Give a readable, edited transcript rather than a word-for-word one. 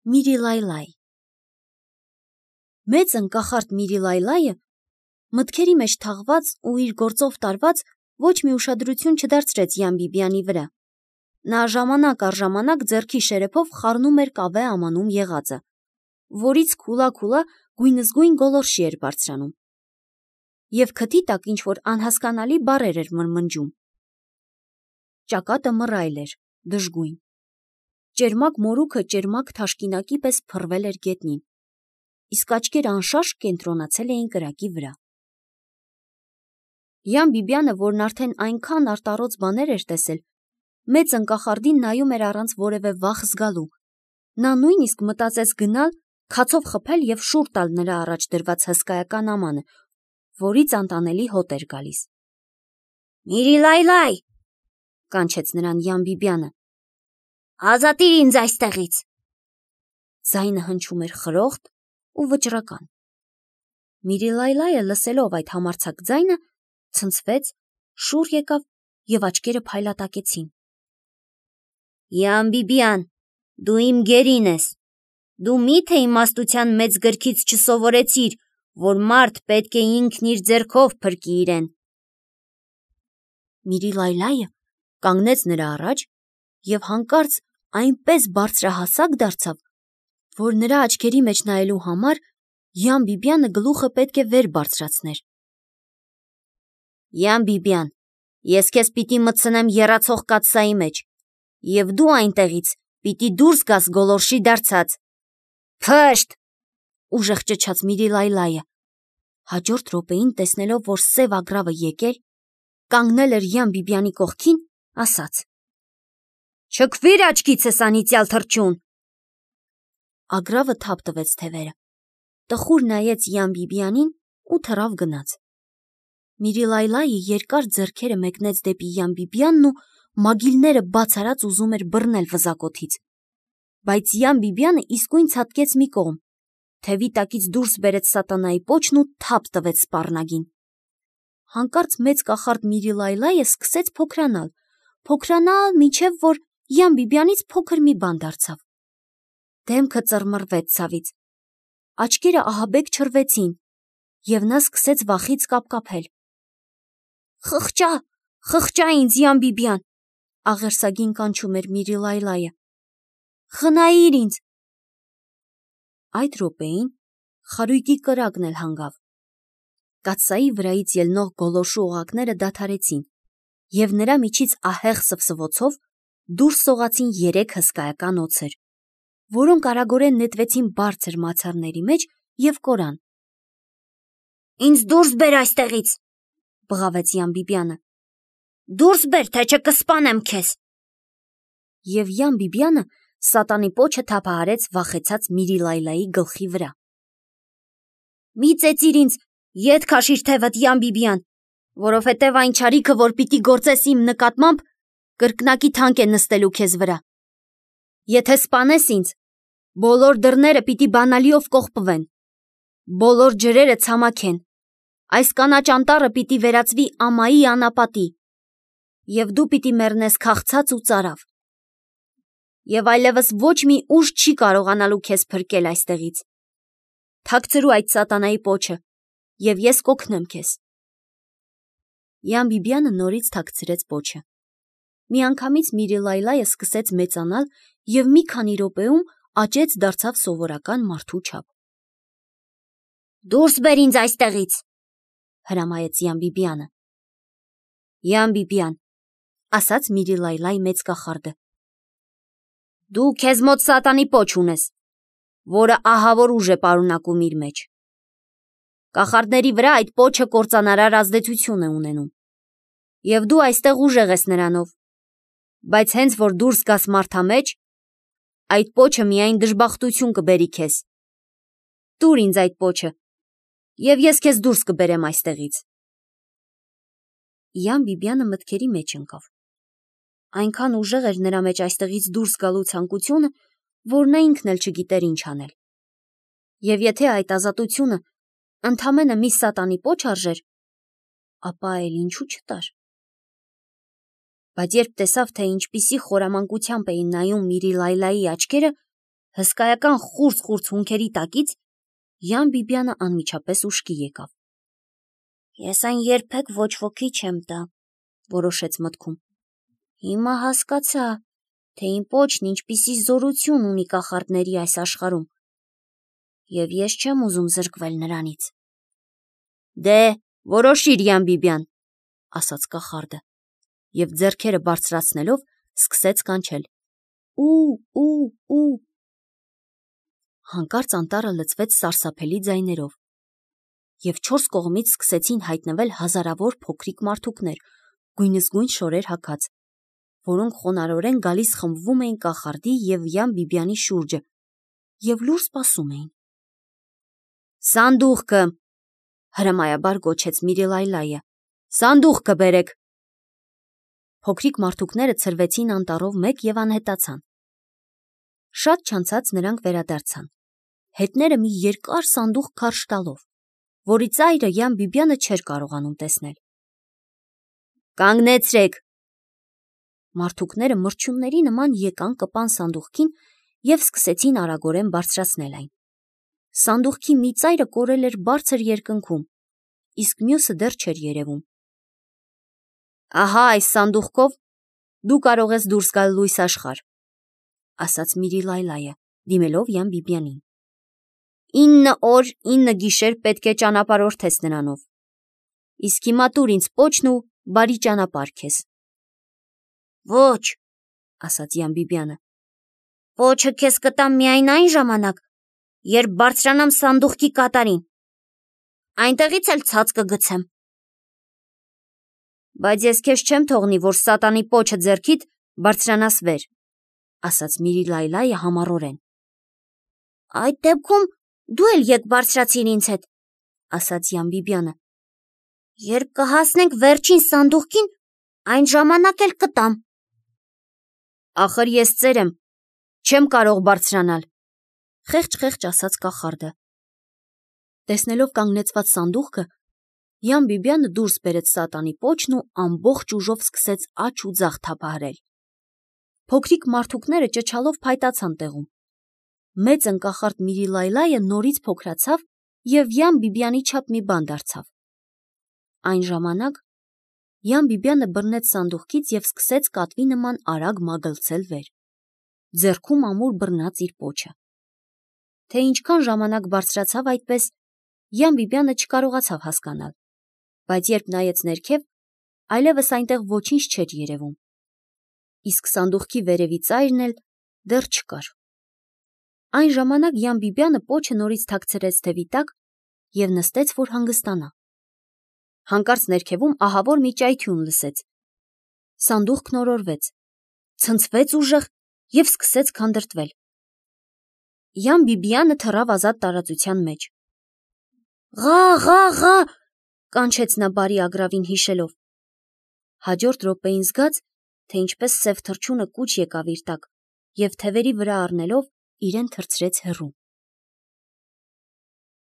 Միրիլայլայ Մեծ ընկախարդ Միրիլայլայը մտքերի մեջ թաղված ու իր գործով տարված ոչ մի ուշադրություն չդարձրեց Յան-Բիբյանի վրա։ Նա ժամանակ առ ժամանակ ձեռքի շերեփով խառնում էր կավե ամանում եղածը, որից քուլա-քուլա գույնզգույն գոլորշի էր բարձրանում։ Եվ քթի տակ ինչ-որ անհասկանալի բառեր էր մրմնջում։ Ճակատը մռայլ էր, դժգույն։ Ճերմակ մորուքը ճերմակ թաշկինակի պես փռվել էր գետնին, իսկ աչքերը անշարժ կենտրոնացել էին կրակի վրա։ Յան-Բիբյանը, որն արդեն այնքան արտառոց բաներ էր տեսել, մեծ ընկախարդին նայում էր առանց որևէ վախ զգալու։ Նա նույնիսկ մտածեց գնալ, քացով խփել և շուռ տալ նրա առաջ դրված հսկայական ամանը, որից անտանելի հոտ էր գալիս։ «Միրիլայլայ», կանչեց նրան Յան-Բիբյանը, «ազատիր ինձ այստեղից»։ Ձայնը հնչում էր խրոխտ ու վճռական։ Միրիլայլայը լսելով այդ համարձակ ձայնը, ցնցվեց, շուռ եկավ և աչքերը փայլատակեցին։ «Յան-Բիբյան, դու իմ գերին ես, դու մի՞թե իմաստության մեծ գրքից չսովորեցիր, որ մարդ պետք է ինքն իր ձեռքով փրկի իրեն»։ Միրիլայլայը կանգնեց նրա առաջ և հանկարծ այնպես բարձրահասակ դարձավ, որ նրա աչքերի մեջ նայելու համար Յան-Բիբյանը գլուխը պետք է վեր բարձրացներ։ «Յան-Բիբյան, ես քեզ պիտի մտցնեմ եռացող կաթսայի մեջ, և դու այնտեղից պիտի դուրս գաս գոլորշի դարձած»։ «Փշտ», ուժեղ ճչաց Միրիլայլայը։ Հաջորդ րոպեին, տեսնելով, որ սև ագռավը եկել, կանգնել էր Յան-Բիբյանի կողքին, ասաց. «Չքվիր աչքիցս, անիծյալ թռչուն»։ Ագռավը թափ տվեց թևերը, տխուր նայեց Յան-Բիբյանին ու թռավ գնաց։ Միրիլայլայը երկար ձեռքերը մեկնեց դեպի Յան-Բիբյանն ու մագիլները բաց արած ուզում էր բռնել վզակոթից, բայց Յան-Բիբյանը իսկույն ցատկեց մի կողմ, թևի տակից դուրս բերեց սատանայի պոչն ու թափ տվեց սպառնագին։ Հանկարծ մեծ կախարդ Միրիլայլայը սկսեց փոքրանալ, մինչև որ Յան-Բիբյանից փոքր մի բան դարձավ։ Դեմքը ծռմռվեց ցավից, աչքերը ահաբեկ չռվեցին, և նա սկսեց վախից կապկապել։ «Խղճա ինձ, Յան-Բիբյան», աղերսագին կանչում էր Միրիլայլայը, «խնայիր ինձ»։ Այդ րոպեին խարույկի կրակն էլ հանգավ։ Կաթսայի վրայից ելնող գոլորշու օղակները դադարեցին, և նրա միջից ահեղ սվսվոցով դուրս սողացին 3 հսկայական օձեր, որոնք արագորեն նետվեցին բարձր մացառների մեջ և կորան։ «Ինձ դուրս բեր այստեղից», բղավեց Յան-Բիբյանը։ «Դուրս բեր, թե չէ կսպանեմ քեզ»։ Եվ Յան-Բիբյանը սատանի պոչը թափահարեց վախեցած Միրիլայլայի գլխի վրա։ «Մի ծեծիր ինձ, ետ քաշիր թևդ, Յան-Բիբյան, որովհետև այն չարիքը, որ պիտի գործես իմ նկատմամբ, կրկնակի թանկ է նստելու քեզ վրա։ Եթե սպանես ինձ, բոլոր դռները պիտի բանալիով կողպվեն, բոլոր ջրերը ցամաքեն, այս կանաչ անտառը պիտի վերածվի ամայի անապատի, և դու պիտի մեռնես քաղցած ու ծարավ։ Եվ այլևս ոչ մի ուժ չի կարողանալու քեզ փրկել այստեղից։ Թաքցրու այդ սատանայի պոչը, և ես կօգնեմ քեզ»։ Յան-Բիբյանը նորից թաքցրեց պոչը։ Միանգամից Միրիլայլայը սկսեց մեծանալ և մի քանի րոպեում աճեց դարձավ սովորական մարդու չափ։ «Դուրս բեր ինձ այստեղից», հրամայեց Յան-Բիբյանը։ «Յան-Բիբյան», ասաց Միրիլայլայ մեծ կախարդը, «դու քեզ մոտ սատանի պոչ ունես, որը ահավոր ուժ է պարունակում իր մեջ։ Կախարդների վրա այդ պոչը կործանարար ազդեցություն է ունենում, և դու այստեղ ուժեղ ես նրանով, բայց հենց որ դուրս գաս մարդամեջ, այդ պոչը միայն դժբախտություն կբերի քեզ։ Տուր ինձ այդ պոչը, և ես քեզ դուրս կբերեմ այստեղից»։ Յան-Բիբյանը մտքերի մեջ ընկավ։ Այնքան ուժեղ էր նրա մեջ այստեղից դուրս գալու ցանկությունը, որ նա ինքն էլ չգիտեր ինչ անել։ Եվ եթե այդ ազատությունը ընդամենը մի սատանի պոչ արժեր, ապա էլ ինչու չտար։ Բայց երբ տեսավ, թե ինչպիսի խորամանկությամբ էին նայում Միրիլայլայի աչքերը, հսկայական խուրձ հունքերի տակից Յան Բիբյանը անմիջապես ուշքի եկավ։ Ես այն երբեք ոչ ոքի չեմ տա, որոշեց մտքում։ Հիմա հասկացա, թե իմ պոչն ինչպիսի զորություն ունի կախարդների այս աշխարհում, և ես չեմ ուզում զրկվել նրանից։ Դե, որոշիր, Յան Բիբյան, ասաց կախարդը, և ձեռքերը բարձրացնելով սկսեց կանչել. ու։ Հանկարծ անտառը լցվեց սարսափելի ձայներով, և չորս կողմից սկսեցին հայտնվել հազարավոր փոքրիկ մարդուկներ, գույնզգույն շորեր հագած, որոնք խոնարհորեն գալիս խմբվում էին կախարդի և Յան Բիբյանի շուրջը և լուր սպասում էին։ Սանդուղքը, հրամայաբար գոչեց Միրիլայլայը, սանդուղքը բերեք։ Փոքրիկ մարդուկները ցրվեցին անտառով մեկ և անհետացան։ Շատ չանցած նրանք վերադարձան, հետները մի երկար սանդուղք քարշ տալով, որի ծայրը Յան Բիբյանը չէր կարողանում տեսնել։ Կանգնեցրեք։ Մարդուկները մրջյունների նման եկան կպան սանդուղքին և սկսեցին արագորեն բարձրացնել այն։ Սանդուղքի մի ծայրը կորել էր բարձր երկնքում, իսկ մյուսը դեռ չէր երևում։ Ահա այս սանդուղքով դու կարող ես դուրս գալ լույս աշխարհ, ասաց Միրիլայլայը, դիմելով Յան Բիբյանին։ 9 օր 9 գիշեր պետք է ճանապարհորդես նրանով։ Իսկ հիմա տուր ինձ պոչն ու բարի ճանապարհ քեզ։ Ոչ, ասաց Յան Բիբյանը, պոչը քեզ կտամ միայն այն ժամանակ, երբ բարձրանամ սանդուղքի կատարին, այնտեղից էլ ցած կգցեմ։ Բայց ես քեզ չեմ թողնի, որ սատանի պոչը ձեռքիդ բարձրանաս վեր, ասաց Միրիլայլայը համառորեն։ Այդ դեպքում դու էլ եկ բարձրացիր ինձ հետ, ասաց Յան Բիբյանը։ Երբ կհասնենք վերջին սանդուղքին, այն ժամանակ էլ կտամ։ Ախր ես ծեր եմ, չեմ կարող բարձրանալ, խեղճ ասաց կախարդը։ Տեսնելով կանգնեցված սանդուղքը, Յան Բիբյանը դուրս բերեց սատանի պոչն ու ամբողջ ուժով սկսեց աջ ու ձախ թափահարել։ Փոքրիկ մարդուկները ճչալով փայտացան տեղում։ Մեծն կախարդ Միրիլայլայը նորից փոքրացավ և Յան Բիբյանի չափ մի բան դարձավ։ Այն ժամանակ Յան Բիբյանը բռնեց սանդուղքից և սկսեց կատվի նման արագ մագլցել վեր, ձեռքում ամուր բռնած իր պոչը։ Թե ինչքան ժամանակ բարձրացավ այդպես, Յան Բիբյանը չկարողացավ հասկանալ, բայց երբ նայեց ներքև, այլևս այնտեղ ոչինչ չէր երևում, իսկ սանդուղքի վերևի ծայրն էլ դեռ չկար։ Այն ժամանակ Յան Բիբյանը պոչը նորից թաքցրեց թևի տակ և նստեց, որ հանգստանա։ Հանկարծ ներքևում ահավոր մի ճայթյուն լսեց։ Սանդուղքն օրորվեց, ցնցվեց ուժեղ և սկսեց քանդրտվել։ Յան Բիբյանը թռավ ազատ տարածության մեջ։ Ղա, կանչեց նա բարի ագռավին հիշելով։ Հաջորդ րոպեին զգաց, թե ինչպես սև թռչունը կուչ եկավ իր տակ և թևերի վրա առնելով իրեն թռցրեց հեռու։